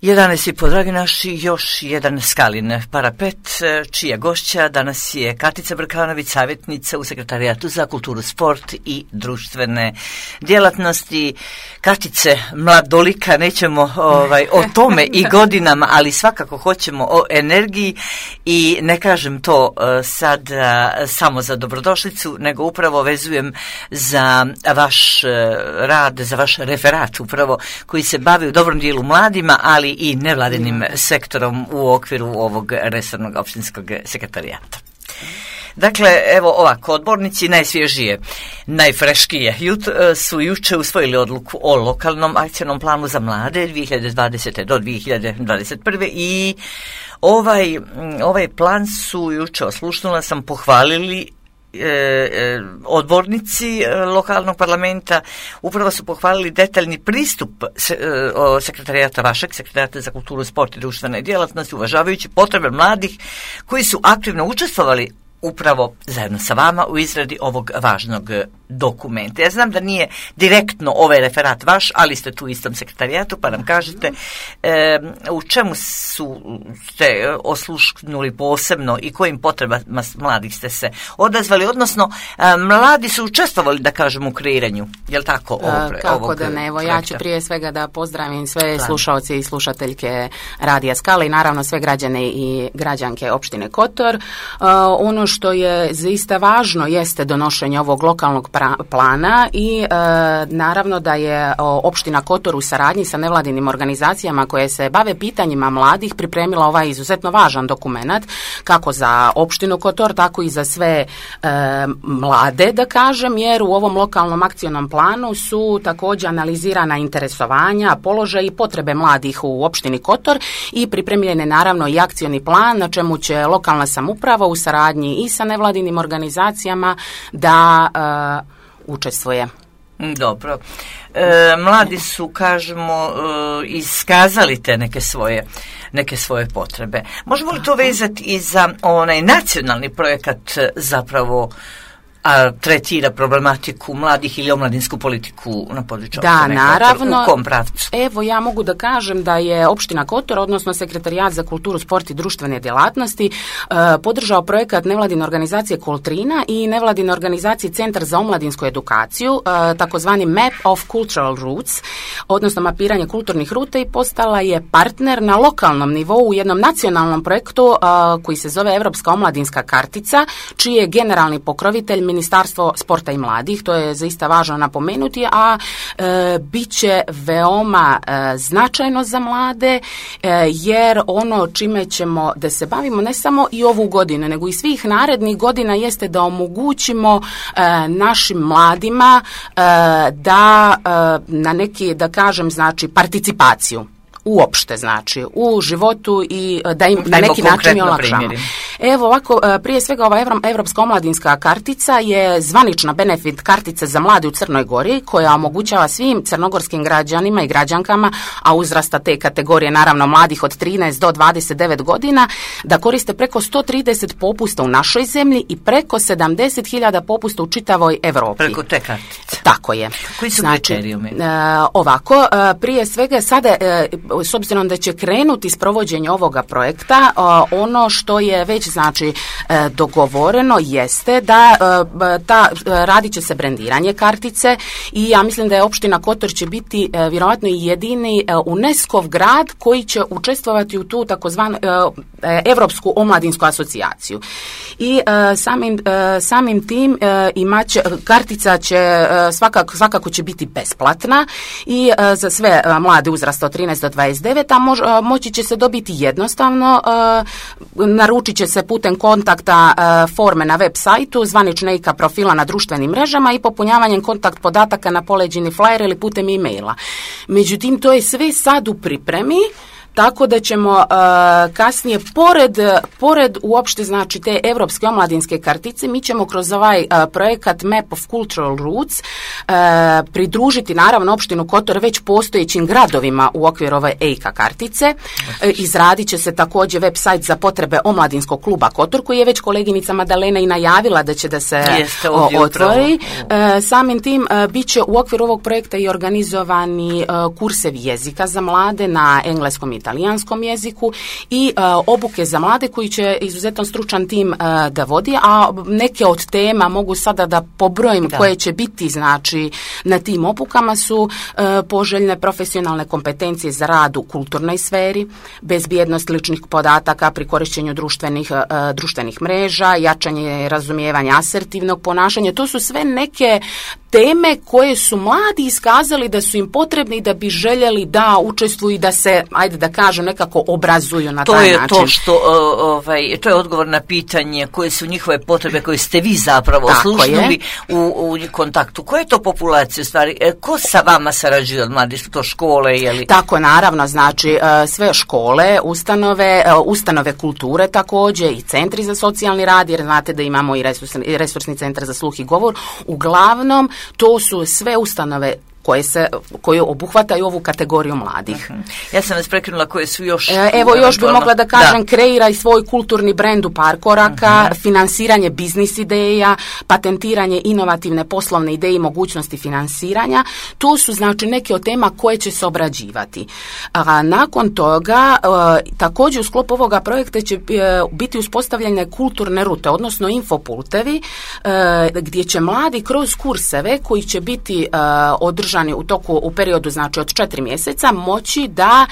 11,5, dragi naši, još jedan Skalin parapet, čija gošća danas je Katica Brkanović, savjetnica u Sekretarijatu za kulturu, sport i društvene djelatnosti. Katice, mladolika, nećemo o tome i godinama, ali svakako hoćemo o energiji i ne kažem to sad samo za dobrodošlicu, nego upravo vezujem za vaš rad, za vaš referat upravo koji se bavi u dobrom dijelu mladima, ali i nevladinim sektorom u okviru ovog resornog općinskog sekretarijata. Dakle, evo ovako, odbornici najsvježije, najfreškije su juče usvojili odluku o lokalnom akcijnom planu za mlade 2020. do 2021. i ovaj plan su juče, oslušnula sam, pohvalili odbornici lokalnog parlamenta. Upravo su pohvalili detaljni pristup sekretarijata, vašeg sekretarijata za kulturu, sport i društvene djelatnosti, uvažavajući potrebe mladih koji su aktivno učestvovali upravo zajedno sa vama u izradi ovog važnog dokumenta. Ja znam da nije direktno ovaj referat vaš, ali ste tu u istom sekretarijatu, pa nam kažete u čemu ste oslušnuli posebno i kojim potrebama mladih ste se odazvali, odnosno mladi su učestvovali, da kažem, u kreiranju, je li tako? Kako da ne, evo ja ću prije svega da pozdravim sve slušaoce i slušateljke Radija Skala i naravno sve građane i građanke opštine Kotor. Ono što je zaista važno jeste donošenje ovog lokalnog plana i naravno da je opština Kotor u saradnji sa nevladinim organizacijama koje se bave pitanjima mladih pripremila ovaj izuzetno važan dokument kako za opštinu Kotor, tako i za sve mlade, da kažem, jer u ovom lokalnom akcionom planu su također analizirana interesovanja, položaj i potrebe mladih u opštini Kotor i pripremljen je naravno i akcioni plan na čemu će lokalna samouprava u saradnji i sa nevladinim organizacijama da učestvuje. Dobro. Mladi su, kažemo, iskazali te neke svoje potrebe. Možemo li to vezati i za onaj nacionalni projekat zapravo tretira problematiku mladih ili omladinsku politiku na području opštine Kotor? Naravno. U kom pravcu? Evo, ja mogu da kažem da je opština Kotor, odnosno Sekretarijat za kulturu, sport i društvene djelatnosti podržao projekat nevladine organizacije Kultrina i nevladine organizacije Centar za omladinsku edukaciju, takozvani Map of Cultural Routes, odnosno mapiranje kulturnih ruta, i postala je partner na lokalnom nivou u jednom nacionalnom projektu koji se zove Evropska omladinska kartica, čiji je generalni pokrovitelj Ministarstvo sporta i mladih. To je zaista važno napomenuti, a bit će veoma značajno za mlade, jer ono čime ćemo da se bavimo ne samo i ovu godinu, nego i svih narednih godina jeste da omogućimo našim mladima da na neki, da kažem, znači participaciju uopšte, znači u životu i da im na neki način olakšamo. Evo ovako, prije svega ova Evropska omladinska kartica je zvanična benefit kartica za mlade u Crnoj Gori koja omogućava svim crnogorskim građanima i građankama, a uzrasta te kategorije naravno mladih od 13 do 29 godina, da koriste preko 130 popusta u našoj zemlji i preko 70.000 popusta u čitavoj Evropi. Preko te kartice. Tako je. Koji su kriterijumi? Ovako, prije svega sada, s obzirom da će krenuti s provođenje ovoga projekta, ono što je već znači dogovoreno jeste da radit će se brendiranje kartice i ja mislim da je opština Kotor će biti vjerojatno i jedini UNESCO-v grad koji će učestvovati u tu takozvanu Evropsku omladinsku asocijaciju. I samim tim kartica će svakako će biti besplatna i za sve mlade uzrasta od 13 do 29, a moći će se dobiti jednostavno, naručit će se putem kontakta forme na web sajtu, zvanične IKA profila na društvenim mrežama i popunjavanjem kontakt podataka na poleđini flyer ili putem e-maila. Međutim, to je sve sad u pripremi, tako da ćemo kasnije, pored uopšte znači te evropske omladinske kartice, mi ćemo kroz ovaj projekat Map of Cultural Routes pridružiti naravno opštinu Kotor već postojećim gradovima u okviru ove EIKA kartice. Izradit će se također web sajt za potrebe omladinskog kluba Kotor, koji je već koleginica Madalena i najavila da će da se otvori. Samim tim bit će u okviru ovog projekta i organizovani kursevi jezika za mlade na engleskom i talijanskom jeziku i obuke za mlade koji će izuzetno stručan tim da vodi, a neke od tema mogu sada da pobrojim koje će biti znači na tim obukama su poželjne profesionalne kompetencije za rad u kulturnoj sferi, bezbjednost ličnih podataka pri korištenju društvenih mreža, jačanje razumijevanja asertivnog ponašanja. To su sve neke teme koje su mladi iskazali da su im potrebni i da bi željeli da učestvuju i da se, ajde da kažem, nekako obrazuju na taj način. To je odgovor na pitanje koje su njihove potrebe koje ste vi zapravo oslušnuli u kontaktu. Koje je to populacije u stvari? Ko sa vama sarađuje od mladih? Su to škole? Tako, naravno, znači sve škole, ustanove kulture također i centri za socijalni rad, jer znate da imamo i resursni centar za sluh i govor. Uglavnom, to su sve ustanove koje obuhvataju ovu kategoriju mladih. Ja sam vas prekrenula koje su još... još bi mogla da kažem, kreiraj svoj kulturni brend u par koraka, finansiranje biznis ideja, patentiranje inovativne poslovne ideje i mogućnosti finansiranja. To su znači neke od tema koje će se obrađivati. Nakon toga, također u sklopu ovoga projekta će biti uspostavljene kulturne rute, odnosno infopultevi, gdje će mladi kroz kurseve koji će biti održani u periodu znači od 4 mjeseca moći da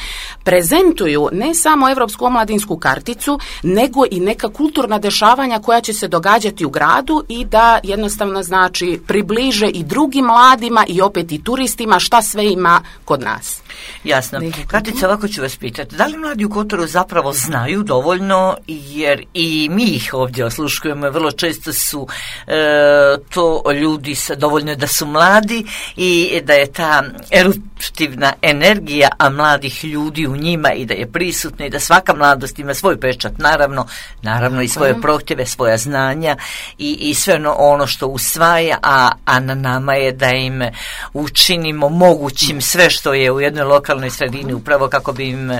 prezentuju ne samo Europsku omladinsku karticu, nego i neka kulturna dešavanja koja će se događati u gradu i da jednostavno znači približe i drugim mladima i opet i turistima šta sve ima kod nas. Jasno. Katica, ovako ću vas pitati, da li mladi u Kotoru zapravo znaju dovoljno, jer i mi ih ovdje osluškujemo, vrlo često su to ljudi dovoljno da su mladi i da je ta eruptivna energija, a mladih ljudi u njima i da je prisutna i da svaka mladost ima svoj pečat, naravno i svoje prohtjeve, svoja znanja i sve ono što usvaja, a na nama je da im učinimo mogućim sve što je u jednoj lokalnoj sredini, upravo kako bi im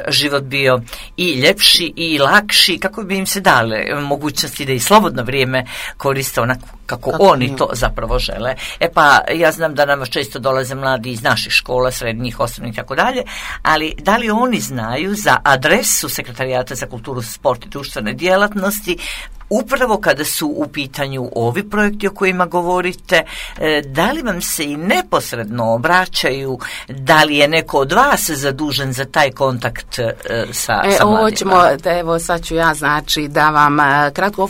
život bio i ljepši i lakši, kako bi im se dale mogućnosti da i slobodno vrijeme koriste onako kako oni to zapravo žele. Pa ja znam da nam često dolaze mladi iz naših škola, srednjih, osnovnih i tako dalje, ali da li oni znaju za adresu Sekretarijata za kulturu, sport i društvene djelatnosti, upravo kada su u pitanju ovi projekti o kojima govorite, da li vam se i neposredno obraćaju, da li je neko od vas zadužen za taj kontakt sa mladima? Evo sad ću ja znači da vam kratko,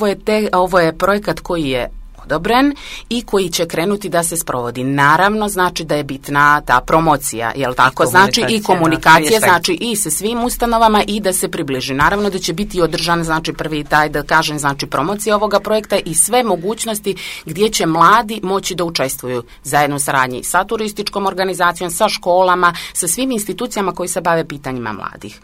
ovo je projekat koji je odobren i koji će krenuti da se sprovodi. Naravno, znači da je bitna ta promocija, jel tako? Znači i komunikacija, znači i sa svim ustanovama i da se približi. Naravno da će biti održan, znači prvi taj, da kažem, znači promocija ovoga projekta i sve mogućnosti gdje će mladi moći da učestvuju zajedno u saradnji sa turističkom organizacijom, sa školama, sa svim institucijama koji se bave pitanjima mladih.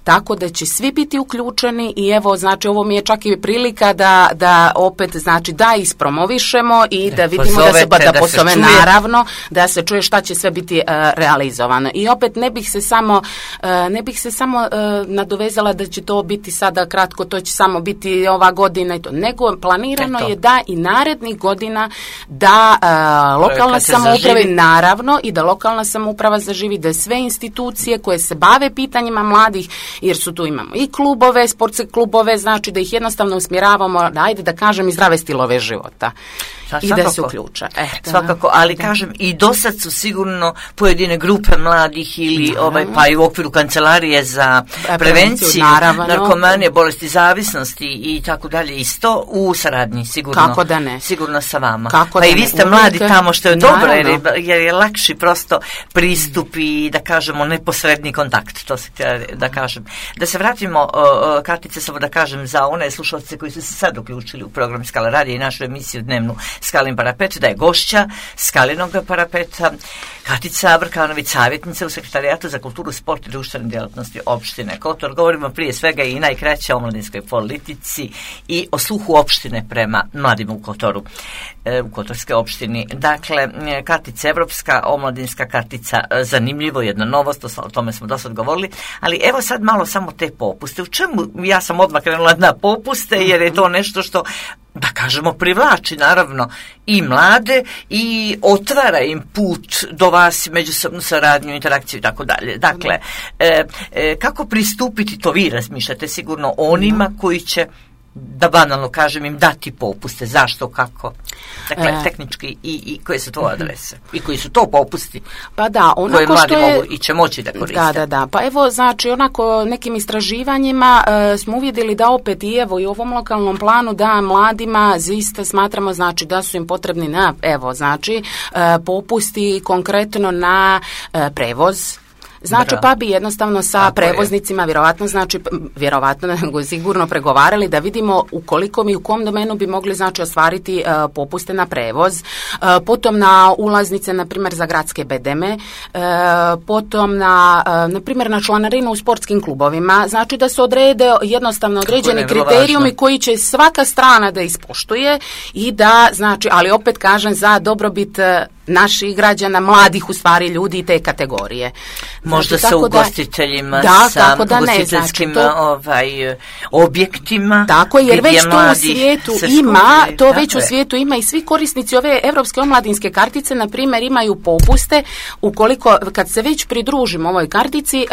Tako da će svi biti uključeni i evo, znači, ovo mi je čak i prilika da opet, znači, da ispromovišemo i da vidimo da pozove, naravno, da se čuje šta će sve biti realizovano. I opet ne bih se samo nadovezala da će to biti sada kratko, to će samo biti ova godina i to, nego planirano je da i narednih godina da lokalna samouprava, naravno, i da lokalna samouprava zaživi, da sve institucije koje se bave pitanjima mladih, jer su tu imamo i klubove, sportske klubove, znači da ih jednostavno usmjeravamo, ajde da kažem, i zdrave stilove života. I da se uključa. Svakako, ali kažem, i do sad su sigurno pojedine grupe mladih ili pa i u okviru kancelarije za prevenciju narkomanije, bolesti zavisnosti i tako dalje, isto u saradnji, sigurno. Kako da ne? Sigurno sa vama. Pa i vi ste mladi tamo, što je dobro, jer je lakši prosto pristup i, da kažemo, neposredni kontakt, to se da kažem. Da se vratimo, Katice, samo da kažem za one slušalce koji su se sad uključili u program Skala radija i našu emisiju dnevnu Skalin parapet, da je gošća Skalinog parapeta Katica Brkanović, savjetnica u Sekretarijatu za kulturu, sport i društvene djelatnosti opštine Kotor. Govorimo prije svega i najkraće o omladinskoj politici i o sluhu opštine prema mladima u Kotoru, u Kotorskoj opštini. Dakle, kartica, evropska omladinska kartica, zanimljivo, jedna novost, o tome smo dosad govorili, ali evo sad malo samo te popuste. U čemu ja sam odmah krenula na popuste, jer je to nešto što da kažemo, privlači naravno i mlade i otvara im put do vas, međusobnu saradnju, interakciju i tako dalje. Dakle, kako pristupiti, to vi razmišljate sigurno, onima koji će, da banalno kažem, im dati popuste, zašto, kako, dakle tehnički i koje su to adrese i koji su to popusti, pa da, koje mladi mogu i će moći da koriste. Da, pa evo, znači, onako nekim istraživanjima smo uvidjeli da opet i evo i u ovom lokalnom planu da mladima zaista smatramo, znači, da su im potrebni popusti konkretno na prevoz. Znači, pa bi jednostavno sa prevoznicima vjerovatno nego sigurno pregovarali da vidimo u koliko i u kom domenu bi mogli, znači, ostvariti popuste na prevoz, potom na ulaznice, na primjer, za gradske bedeme, potom na primjer, na članarinu u sportskim klubovima, znači da se odrede jednostavno određeni kriterijumi koji će svaka strana da ispoštuje i da, znači, ali opet kažem, za dobrobit naših građana, mladih u stvari ljudi te kategorije. Možda sa ugostiteljima, sa ugostiteljskim objektima. Tako, jer već to u svijetu ima, u svijetu ima i svi korisnici ove Europske omladinske kartice, na primjer, imaju popuste. Ukoliko, kad se već pridružimo ovoj kartici,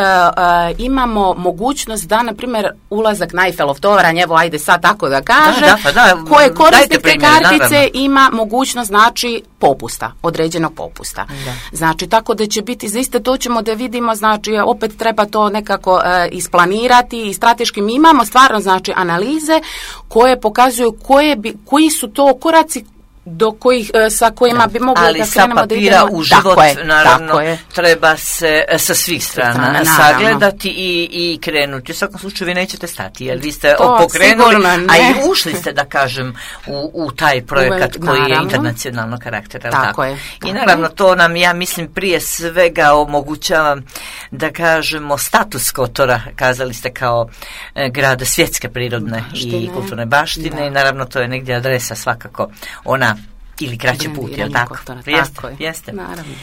imamo mogućnost da, na primjer, ulazak na Eiffelov toranj, evo, ajde sad tako da kažem, koje korisnik te kartice ima mogućnost, znači, popusta, određenog popusta. Da. Znači, tako da će biti, zaista to ćemo da vidimo, znači, opet treba to nekako isplanirati i strateški. Mi imamo stvarno, znači, analize koje pokazuju koji su to koraci do kojih, sa kojima bi mogli da krenemo da idemo. Ali sa papira u život, naravno, treba se sa svih strana sagledati i krenuti. U svakom slučaju vi nećete stati, jer vi ste pokrenuli, a i ušli ste, da kažem, u taj projekat koji je internacionalno karaktera. Tako je. I naravno, to nam, ja mislim, prije svega omogućava, da kažemo, status Kotora, kazali ste, kao grada svjetske prirodne i kulturne baštine, i naravno to je negdje adresa svakako ona ili kraći put, je li tako? Jeste. Naravno.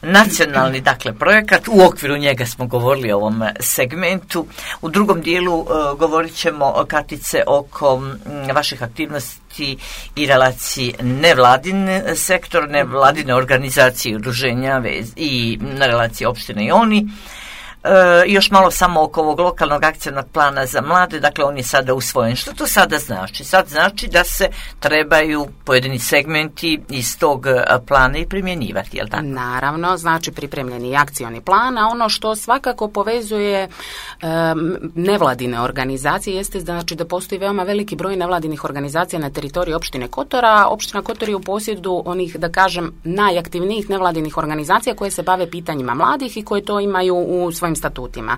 Nacionalni, dakle, projekat, u okviru njega smo govorili o ovom segmentu. U drugom dijelu govorit ćemo, Katice, oko vaših aktivnosti i relaciji nevladin sektor, nevladine organizacije i udruženja i na relaciji opštine i oni. Još malo samo oko ovog lokalnog akcionog plana za mlade, dakle on je sada usvojen. Što to sada znači? Sad znači da se trebaju pojedini segmenti iz tog plana i primjenjivati, je li tako? Naravno, znači pripremljeni akcioni plan, a ono što svakako povezuje nevladine organizacije jeste, znači, da postoji veoma veliki broj nevladinih organizacija na teritoriji opštine Kotora. Opština Kotor je u posjedu onih, da kažem, najaktivnijih nevladinih organizacija koje se bave pitanjima mladih i koje to imaju u svojim statutima.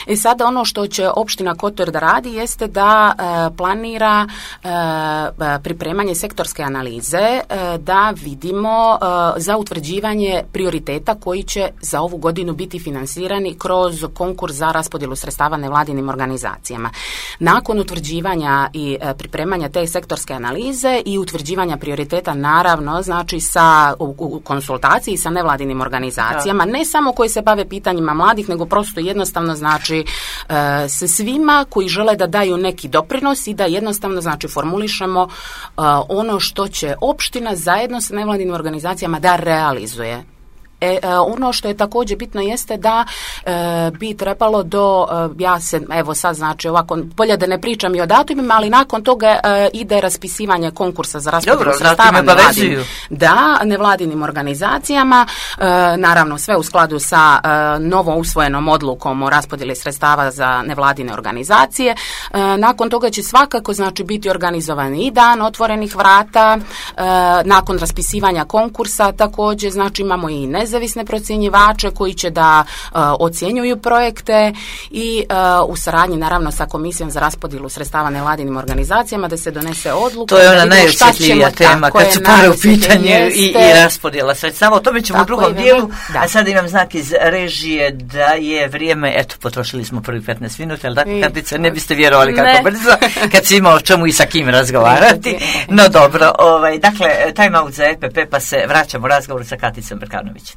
I sada ono što će opština Kotor da radi jeste da planira pripremanje sektorske analize, da vidimo za utvrđivanje prioriteta koji će za ovu godinu biti finansirani kroz konkurs za raspodjelu sredstava nevladinim organizacijama. Nakon utvrđivanja i pripremanja te sektorske analize i utvrđivanja prioriteta, naravno, znači u konsultaciji sa nevladinim organizacijama, ne samo koji se bave pitanjima mladih, nego prosto jednostavno, znači, se svima koji žele da daju neki doprinos i da jednostavno, znači, formulišemo ono što će opština zajedno sa nevladinim organizacijama da realizuje. Ono što je također bitno jeste da bi trebalo ja se, evo sad, znači, ovako, bolje da ne pričam i o datumima, ali nakon toga ide raspisivanje konkursa za raspodjelu sredstava nevladinim organizacijama, naravno sve u skladu sa novo usvojenom odlukom o raspodjeli sredstava za nevladine organizacije. Nakon toga će svakako, znači, biti organizovan i dan otvorenih vrata. Nakon raspisivanja konkursa također, znači, imamo i nezavisne procjenjivače koji će da ocjenjuju projekte i u saradnji, naravno, sa Komisijom za raspodjelu sredstava nevladinim organizacijama da se donese odluka. To je ona najosjetljivija tema kad su pare u pitanju i raspodjela sredstava. O tome ćemo u drugom dijelu. A sada imam znak iz režije da je vrijeme, eto, potrošili smo prvi 15 minuta, ali tako, Katice, ne biste vjerovali kako brzo, kad si imao o čemu i sa kim razgovarati. No dobro, dakle, time out za EPP, pa se vraćamo razgovoru sa Katicom Brkanović.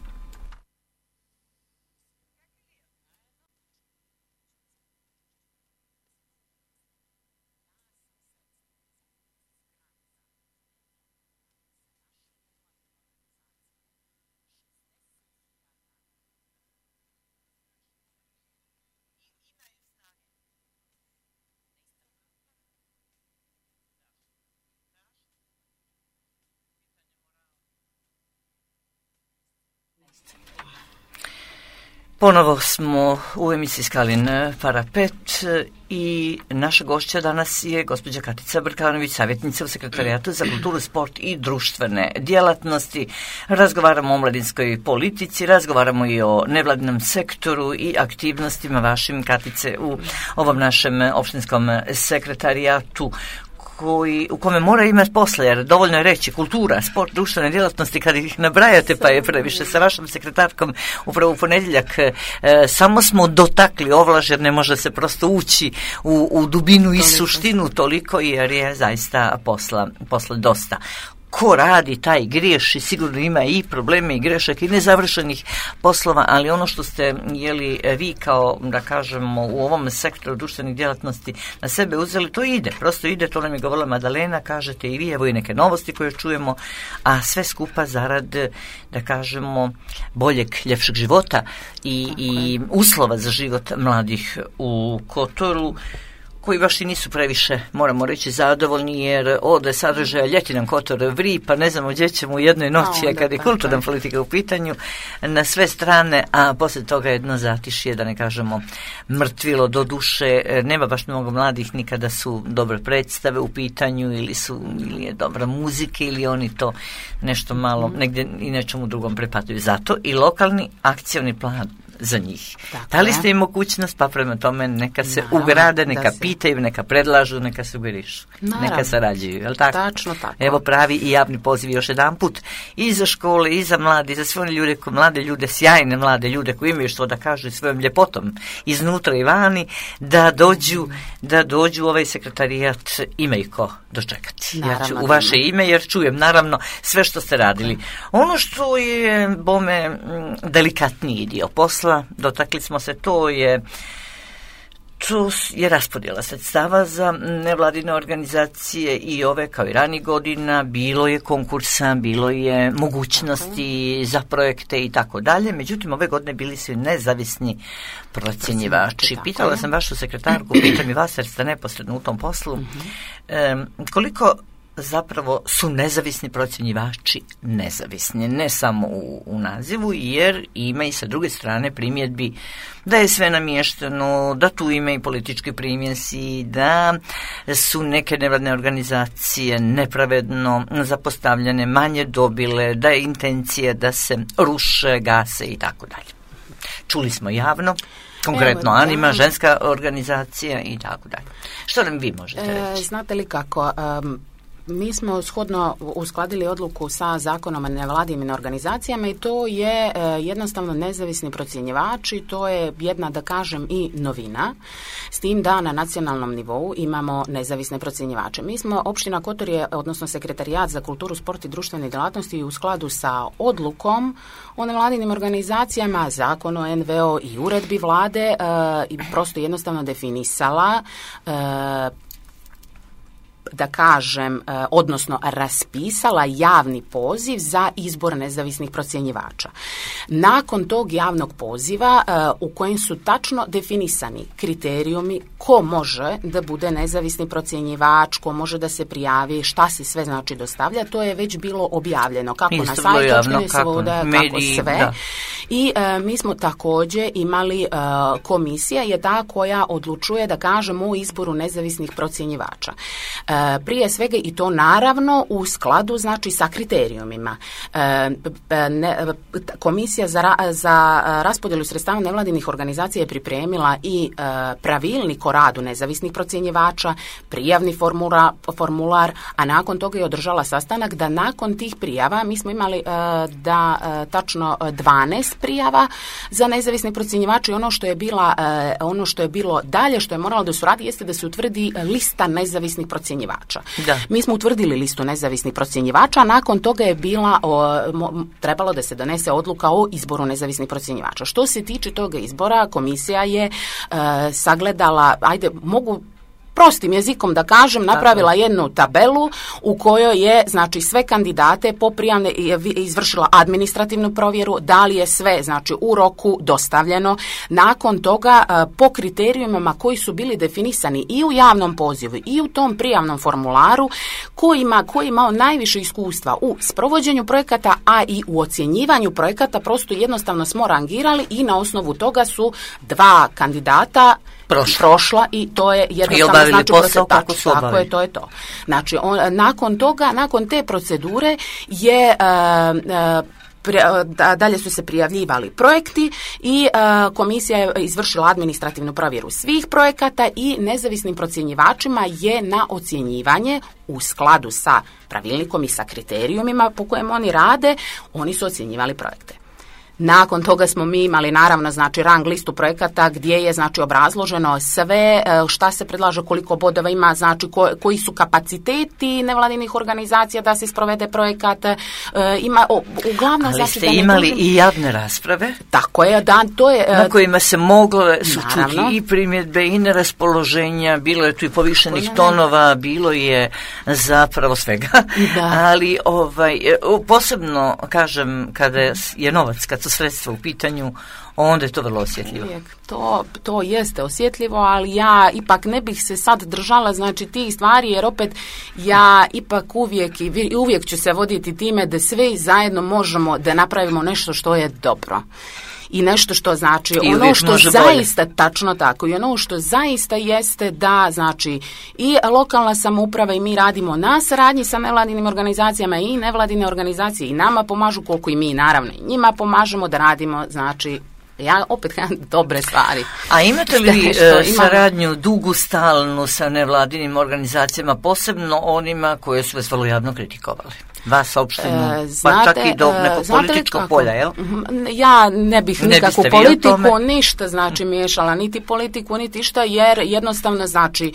Ponovo smo u emisiji Skalin Parapet i naša gošća danas je gospođa Katica Brkanović, savjetnica u Sekretarijatu za kulturu, sport i društvene djelatnosti. Razgovaramo o omladinskoj politici, razgovaramo i o nevladinom sektoru i aktivnostima vašim, Katice, u ovom našem opštinskom sekretarijatu u kome mora imati posla, jer dovoljno je reći kultura, sport, društvene djelatnosti, kad ih nabrajate pa je previše. Sa vašom sekretarkom upravo u ponedjeljak samo smo dotakli ovlaž, jer ne može se prosto ući u dubinu i suštinu toliko, jer je zaista posla dosta. Ko radi, taj griješi, sigurno ima i probleme i grešaka i nezavršenih poslova, ali ono što ste vi kao, da kažemo, u ovom sektoru društvenih djelatnosti na sebe uzeli, to ide, prosto ide, to nam je govorila Madalena, kažete i vi, evo i neke novosti koje čujemo, a sve skupa zarad, da kažemo, boljeg, ljepšeg života i uslova za život mladih u Kotoru, koji baš i nisu previše, moramo reći, zadovoljni, jer ode sadržaja ljeti nam Kotor vri, pa ne znamo gdje ćemo u jednoj noći, kad je kulturna politika u pitanju, na sve strane, a poslije toga jedno zatišje, da ne kažemo mrtvilo do duše, nema baš mnogo mladih nikada su dobre predstave u pitanju, ili je dobra muzika, ili oni to nešto malo negdje i nečemu drugom prepatuju. Zato i lokalni akcioni plan za njih. Dali ste im mogućnost, pa prema tome neka se ugrade, neka pitaju, neka predlažu, neka sugerišu, neka sarađuju, je li tako? Tačno tako. Evo pravi i javni poziv još jedan put i za škole, i za mlade, i za sve one ljude, mlade ljude, sjajne mlade ljude koji imaju što da kažu svojom ljepotom iznutra i vani, da dođu u ovaj sekretarijat, ima ih ko dočekati. Ja ću u vaše ime, jer čujem naravno sve što ste radili. Ono što je bome delikatniji dio posla, dotakli smo se, to je raspodjela sredstava za nevladine organizacije i ove kao i ranijih godina, bilo je konkursa, bilo je mogućnosti za projekte i tako dalje, međutim ove godine bili su nezavisni procjenjivači. Pitala sam vašu sekretarku, pitam i vas jer ste neposredno u tom poslu, koliko zapravo su nezavisni procjenjivači nezavisni, ne samo u nazivu, jer ima i sa druge strane primjedbi da je sve namješteno, da tu ima i politički primjesi, da su neke nevladne organizacije nepravedno zapostavljene, manje dobile, da je intencija da se ruše, gase i tako dalje. Čuli smo javno, konkretno Anima, ženska organizacija i tako dalje. Što nam vi možete reći? Znate li kako... Mi smo shodno uskladili odluku sa Zakonom o nevladinim organizacijama i to je jednostavno nezavisni procjenjivači, to je jedna, da kažem, i novina, s tim da na nacionalnom nivou imamo nezavisne procjenjivače. Mi smo, opština Kotor je, odnosno Sekretarijat za kulturu, sport i društvene djelatnosti, u skladu sa odlukom o nevladinim organizacijama, Zakon o NVO i uredbi vlade i prosto jednostavno definisala da kažem, odnosno raspisala javni poziv za izbor nezavisnih procjenjivača. Nakon tog javnog poziva u kojem su tačno definisani kriterijumi ko može da bude nezavisni procjenjivač, ko može da se prijavi, šta se sve znači dostavlja, to je već bilo objavljeno kako na sajtu opštine Svoboda, kako sve. Da. I mi smo također imali komisija je ta koja odlučuje, da kažemo, o izboru nezavisnih procjenjivača. Prije svega i to naravno u skladu znači sa kriterijumima. Komisija za raspodjelu sredstava nevladinih organizacija je pripremila i pravilnik o radu nezavisnih procjenjivača, prijavni formular, a nakon toga je održala sastanak da nakon tih prijava mi smo imali tačno 12 prijava za nezavisne procjenjivače i ono što je bilo dalje, što je moralo da se uradi, jeste da se utvrdi lista nezavisnih procjenjivača. Da. Mi smo utvrdili listu nezavisnih procjenjivača, a nakon toga je trebalo da se donese odluka o izboru nezavisnih procjenjivača. Što se tiče toga izbora, komisija je sagledala, mogu prostim jezikom da kažem, napravila jednu tabelu u kojoj je, znači, sve kandidate po prijavne izvršila administrativnu provjeru, da li je sve, znači, u roku dostavljeno. Nakon toga, po kriterijumima koji su bili definisani i u javnom pozivu i u tom prijavnom formularu, ko je imao najviše iskustva u sprovođenju projekata, a i u ocjenjivanju projekata, prosto jednostavno smo rangirali i na osnovu toga su 2 kandidata prošla i to je jednostavno, znači, posao kako su obavili. Tako je, to je to. Znači, nakon toga, nakon te procedure je dalje su se prijavljivali projekti i komisija je izvršila administrativnu provjeru svih projekata i nezavisnim procjenjivačima je na ocjenjivanje u skladu sa pravilnikom i sa kriterijumima po kojem oni rade, oni su ocjenjivali projekte. Nakon toga smo mi imali, naravno, znači, rang listu projekata gdje je, znači, obrazloženo sve šta se predlaže, koliko bodova ima, znači, koji su kapaciteti nevladinih organizacija da se sprovede projekat. Uglavnom, ali znači, ste imali i javne rasprave. Tako je, da, to je... Na kojima se mogle čuti i primjedbe i neraspoloženja, bilo je tu i povišenih tonova, bilo je zapravo svega. Da. Ali posebno, kažem, kada je novac, kad su sredstva u pitanju, onda je to vrlo osjetljivo. To jeste osjetljivo, ali ja ipak ne bih se sad držala, znači, tih stvari, jer opet ja ipak uvijek ću se voditi time da sve zajedno možemo da napravimo nešto što je dobro. I nešto što, znači, ono što zaista bolje. Tačno tako, i ono što zaista jeste da, znači, i lokalna samouprava i mi radimo na saradnji sa nevladinim organizacijama i nevladine organizacije i nama pomažu, koliko i mi, naravno, i njima pomažemo da radimo, znači, ja opet dobre stvari. A imate li saradnju dugu, stalnu sa nevladinim organizacijama, posebno onima koje su vas vrlo javno kritikovali? Vas opštinu, pa čak i do nekog političkog polja, jel? Ja ne bih nikakvu politiku, ništa, znači, miješala, niti politiku, niti šta, jer jednostavno, znači,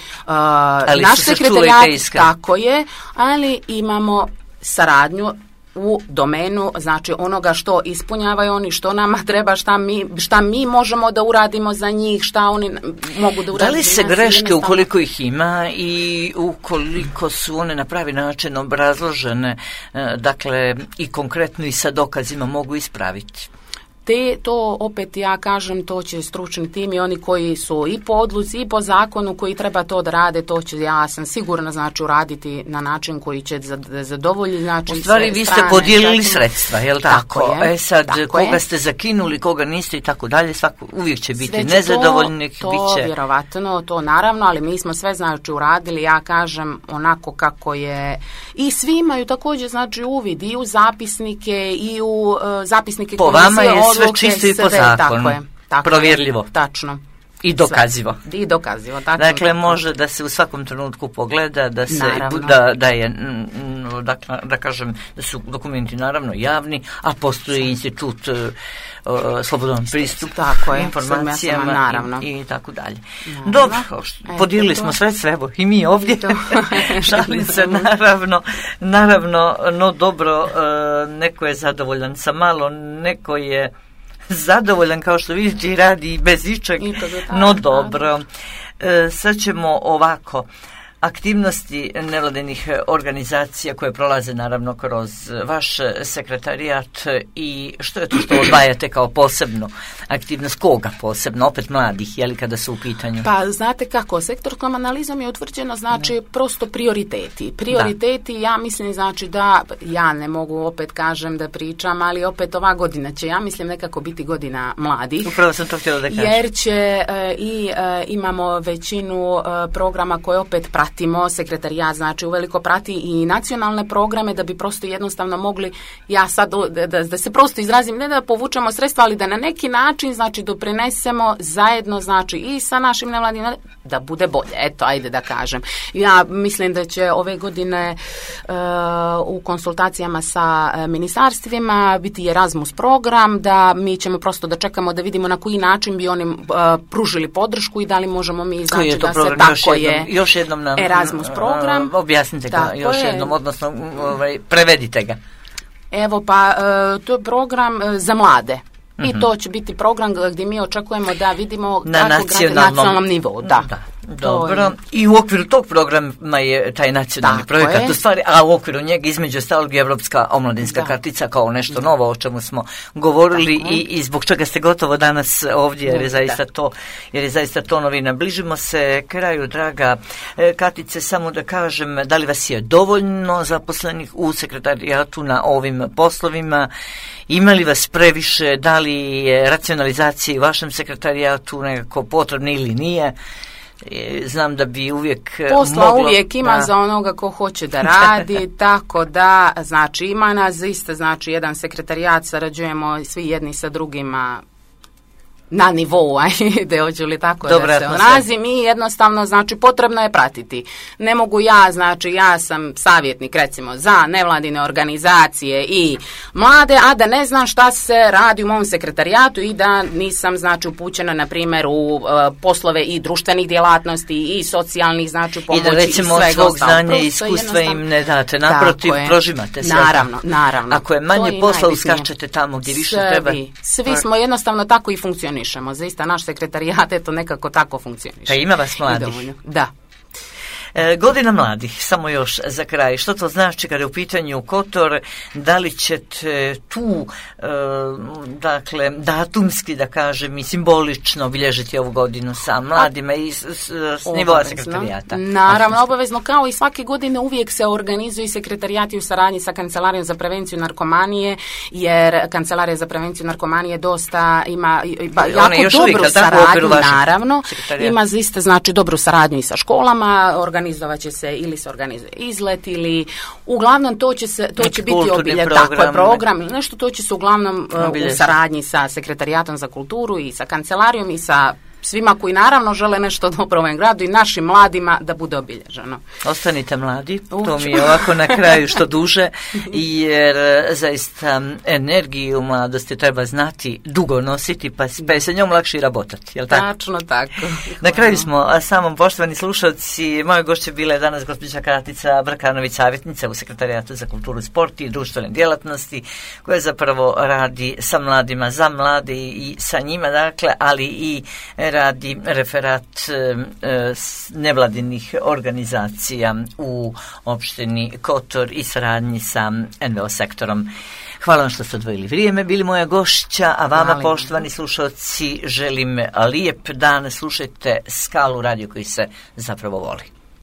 naš sekretarijat, tako je, ali imamo saradnju u domenu, znači, onoga što ispunjavaju oni, što nama treba, šta mi možemo da uradimo za njih, šta oni mogu da urade. Da li se greške, ukoliko ih ima i ukoliko su one na pravi način obrazložene, dakle, i konkretno i sa dokazima, mogu ispraviti? To opet, ja kažem, to će stručni tim i oni koji su i po odluci i po zakonu koji treba to da rade, to će, ja sam sigurna, znači, uraditi na način koji će zadovoljiti, znači, u stvari vi ste podijelili sredstva, jel tako? Sad, koga ste zakinuli, koga niste i tako dalje, uvijek će biti nezadovoljnih. To vjerovatno, to naravno, ali mi smo sve, znači, uradili, ja kažem, onako kako je, i svi imaju također, znači, uvid i u zapisnike i u zapisnike po vama je sve čisto i po zakonu, provjerljivo. Tačno. I dokazivo. I dokazivo, tačno. Dakle, može da se u svakom trenutku pogleda, da se da je, da kažem, da su dokumenti naravno javni, a postoji institut slobodan pristup informacijama naravno. I tako dalje. Dobro, podijelili smo sredstva, evo i mi ovdje. Šalim se, naravno, no dobro, neko je zadovoljan sa malo, neko je zadovoljan, kao što vidite, i radi bez ičeg, no dobro. Sad ćemo ovako, aktivnosti nevladinih organizacija koje prolaze naravno kroz vaš sekretarijat i što je to što odvajate kao posebno aktivnost, koga posebno, opet mladih, je li kada su u pitanju? Pa znate kako, sektorskom analizom je utvrđeno, znači, prosto prioriteti, ja mislim, znači, da ja ne mogu, opet kažem, da pričam, ali opet ova godina će, ja mislim, nekako biti godina mladih. Upravo sam to htjela da kažem. Jer će imamo većinu programa koje opet pratimo, sekretarijat, znači, uveliko prati i nacionalne programe da bi prosto jednostavno mogli, ja sad da se prosto izrazim, ne da povučemo sredstva, ali da na neki način, znači, doprinesemo zajedno, znači, i sa našim nevladinim, da bude bolje, eto, ajde da kažem. Ja mislim da će ove godine u konsultacijama sa ministarstvima biti Erasmus program, da mi ćemo prosto da čekamo da vidimo na koji način bi oni pružili podršku i da li možemo mi, znači, da se tako je još jednom nam Erasmus program. Objasnite ga još jednom, odnosno prevedite ga. Evo, pa to je program za mlade. I to će biti program gdje mi očekujemo da vidimo na nacionalnom nivou. Da. Dobro, i u okviru tog programa je taj nacionalni projekat u stvari, a u okviru njega između ostalog je Evropska omladinska kartica kao nešto novo o čemu smo govorili i zbog čega ste gotovo danas ovdje, jer je zaista to novina. Bližimo se kraju, draga Katice, samo da kažem, da li vas je dovoljno zaposlenih u sekretarijatu na ovim poslovima, ima li vas previše, da li je racionalizacija u vašem sekretarijatu nekako potrebna ili nije? Znam da bi uvijek posla uvijek ima za onoga ko hoće da radi, tako da, znači, ima nas isto, znači, jedan sekretarijat, sarađujemo svi jedni sa drugima na nivou, ajde, hoću li tako da se onazim, i jednostavno, znači, potrebno je pratiti. Ne mogu ja, znači, ja sam savjetnik, recimo, za nevladine organizacije i mlade, a da ne znam šta se radi u mom sekretarijatu i da nisam, znači, upućena, na primjer, u poslove i društvenih djelatnosti i socijalnih, znači, pomoći i svega ostalo. I da, recimo, od svog znanja i iskustva im ne date, naprotiv, prožimate sve. Naravno. Ako je manje posla, uskačete tamo gdje više treba. Svi smo jednostavno tako i funkcionišemo. Zaista naš sekretarijat eto nekako tako funkcioniše. Pa ima vas mladih. Da. Godina mladih, samo još za kraj. Što to znači kada je u pitanju Kotor? Da li ćete tu, dakle, datumski, da kažem, i simbolično obilježiti ovu godinu sa mladima i s nivoa sekretarijata? Naravno, obavezno, kao i svake godine uvijek se organizuju sekretarijati u saradnji sa Kancelarijom za prevenciju narkomanije, jer Kancelarija za prevenciju narkomanije dosta ima jako dobru saradnju, naravno. Ima zaista, znači, dobru saradnju i sa školama, organizovat će se ili se organizuje izlet ili uglavnom to će biti program ili nešto, to će se uglavnom u saradnji sa Sekretarijatom za kulturu i sa kancelarijom i sa svima koji naravno žele nešto dobro u ovom gradu i našim mladima da bude obilježeno. Ostanite mladi, to mi je ovako na kraju što duže, jer zaista energiju mladosti treba znati dugo nositi, pa je sa njom lakše i rabotati, jel tako? Tačno tako. Na kraju smo, samom poštovani slušalci, moje gošće bila je danas gospođa Katica Brkanović, savjetnica u Sekretarijatu za kulturu, sport i društvene djelatnosti, koja zapravo radi sa mladima, za mlade i sa njima, dakle, ali i radi referat nevladinih organizacija u opštini Kotor i saradnji sa NVO sektorom. Hvala vam što ste odvojili vrijeme, bili moja gošća, a vama, poštovani slušalci, želim lijep dan. Slušajte Skalu, radio koji se zapravo voli.